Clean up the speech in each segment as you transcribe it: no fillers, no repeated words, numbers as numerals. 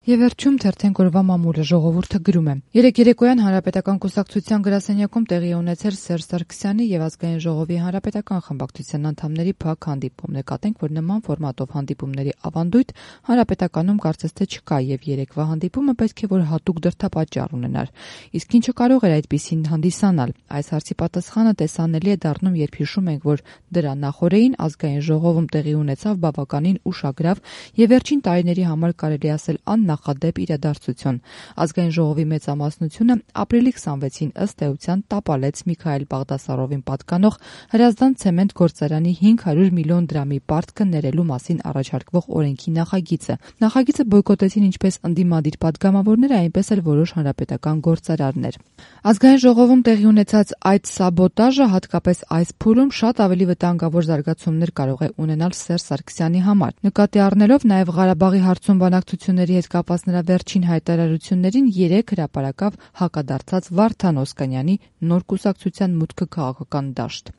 Եվ վերջում թերթենք օրվա մամուլը ժողովուրդը գրում է. Երեկ երեկոյան Հանրապետական կուսակցության գրասենյակում տեղի ունեցել Սերժ Սարգսյանի եւ Ազգային ժողովի հանրապետական խմբակցության անդամների փակ հանդիպում։ Նկատենք, որ նման ֆորմատով հանդիպումների ավանդույթ Հանրապետականում կարծես թե չկա եւ երեկվա հանդիպումը պետք է որ հատուկ դրդապատճառ ունենար։ Իսկ ինչը կարող էր այդպիսին հանդիսանալ։ Այս հարցի պատասխանը տեսանելի է դառնում, երբ հիշում ենք, որ դրա նախօրեին Ազգային ժողովում տեղի ունեցավ բավականին ուշագրավ եւ վերջին տարիների համար կարելի ասել նախադեպ իրադարձություն։ Ազգային ժողովի մեծամասնությունը ապրիլի 26-ին ըստ էության տապալեց Միքայել Բաղդասարովին պատկանող Հրազդան ցեմենտ գործարանի 500 միլիոն դրամի պարտքը ներելու մասին առաջարկվող օրենքի նախագիծը։ Նախագիծը բոյկոտեցին ինչպես ընդդիմադիր պատգամավորները, այնպես էլ որոշ հանրապետական գործարարներ։ Ազգային ժողովում տեղի ունեցած այդ սաբոտաժը, հատկապես այս փուլում, շատ ավելի վտանգավոր զարգացումներ կարող է ունենալ Սերժ Սարգսյանի համար։ Նկատի առնելով նաև Ղարաբաղի հարցում բանակցությունների հետ կապված նրա վերջին հայտարարություններին, երեկ հրապարակավ հակադարձած Վարդան Օսկանյանի նոր կուսակցության մուտքը քաղաքական դաշտ։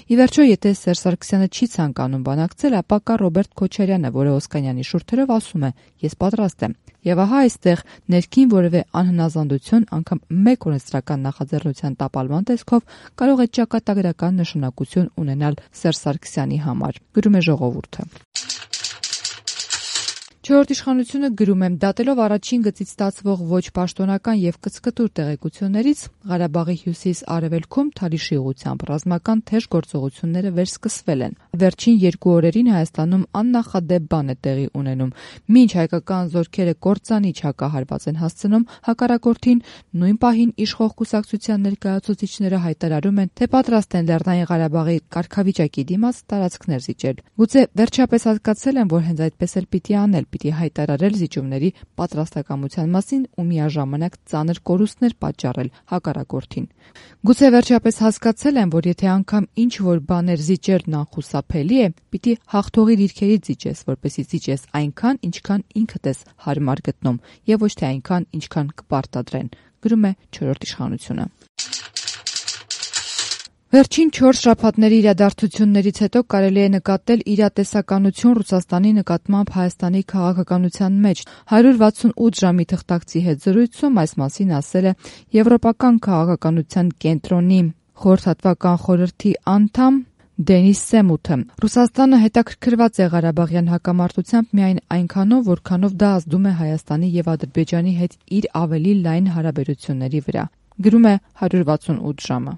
Ի վերջո, եթե Սերժ Սարգսյանը չի ցանկանում բանակցել, ապա կա Ռոբերտ Քոչարյանը, որը Օսկանյանի շուրթերով ասում է. «Ես պատրաստ եմ»։ Եվ ահա այստեղ ներքին որևէ անհնազանդություն, անգամ մեկ օրենսդրական նախաձեռնության տապալման տեսքով կարող է ճակատագրական նշանակություն ունենալ Սերժ Սարգսյանի համար, գրում է ժողովուրդը։ Չորրորդ իշխանությունը գրում է. դատելով առաջին գծից ստացվող ոչ պաշտոնական եւ կծկտուր տեղեկություններից, Ղարաբաղի հյուսիս-արևելքում Թալիշի ուղղությամբ ռազմական թեժ գործողությունները վերսկսվել են։ Վերջին 2 օրերին Հայաստանում աննախադեպ բան է տեղի ունենում։ Մինչ հայկական զորքերը կործանիչ հակահարված են հասցնում, հակառակորդին նույն պահին իշխող կուսակցության ներկայացուցիչները հայտարարում են, թե պատրաստ են Լեռնային Ղարաբաղի կարգավիճակի դիմաց տարածքներ զիջել։ Գուցե վերջապես հասկացել են, որ հենց այդպես էլ պիտի անել, պիտի հայտարարել զիջումների պատրաստակամության մասին ու միաժամանակ ծանր կորուստներ պատճառել հակառակորդին։ Գուցե վերջապես հասկացել են, որ եթե անգամ ինչ որ բաներ զիջելն անխուսափելի է, պիտի հաղթողի դիրքերից զիջես, որպեսզի զիջես այնքան, ինչքան ինքդ ես հարմար գտնում, եւ ոչ թե այնքան, ինչքան կպարտադրեն, գրում է չորրորդ իշխանությունը։ Վերջին 4 շաբաթների իրադարձություններից հետո կարելի է նկատել իրատեսականություն Ռուսաստանի նկատմամբ Հայաստանի քաղաքականության մեջ։ 168 ժամի թղթակցի հետ զրույցում այս մասին ասել է Եվրոպական քաղաքականության կենտրոնի խորհրդատվական խորհրդի անդամ Դենիս Սեմութը։ Ռուսաստանը հետաքրքրված է Ղարաբաղյան հակամարտությամբ միայն այնքանով, որքանով դա ազդում է Հայաստանի եւ Ադրբեջանի հետ իր ավելի լայն հարաբերությունների վրա, գրում է 168 ժամը։